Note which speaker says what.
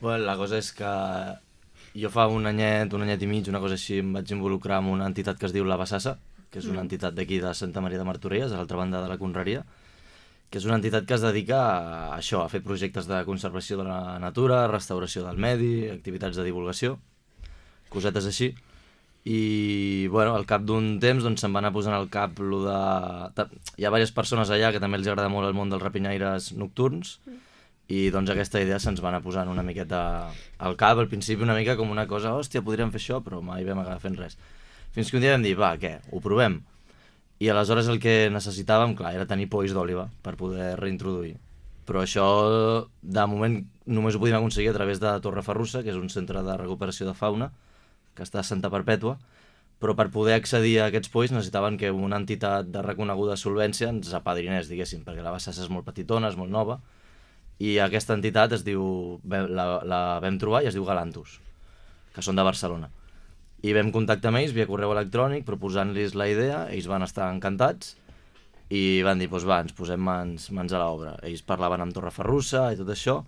Speaker 1: Bueno, la cosa és que jo fa un anyet i mig, una cosa així, em vaig involucrar amb una entitat que es diu La Bassassa, que és una entitat d'aquí de Santa Maria de Martorelles, a l'altra banda de la Conreria, que és una entitat que es dedica a això, a fer projectes de conservació de la natura, restauració del medi, activitats de divulgació, cosetes així. I bueno, al cap d'un temps doncs, se'm va anar posant al cap lo de... Hi ha diverses persones allà que també els agrada molt el món dels rapinyaires nocturns i doncs aquesta idea se'ns va anar posant una miqueta al cap, al principi una mica com una cosa, hòstia, podríem fer això, però mai vam acabar fent res. Fins que un dia vam dir, va, què, ho provem. I aleshores el que necessitàvem, clar, era tenir polls d'òliba per poder reintroduir. Però això, de moment, només ho podíem aconseguir a través de Torreferrussa, que és un centre de recuperació de fauna, que està a Santa Perpètua, però per poder accedir a aquests polls necessitaven que una entitat de reconeguda solvència ens apadrinés, diguéssim, perquè la Bassassa és molt petitona, és molt nova, i aquesta entitat es diu, la vam trobar i es diu Galantus, que són de Barcelona. I vam contactar amb ells via correu electrònic proposant-los la idea, ells van estar encantats i van dir, doncs va, ens posem mans a l'obra. Ells parlaven amb Torreferrussa i tot això,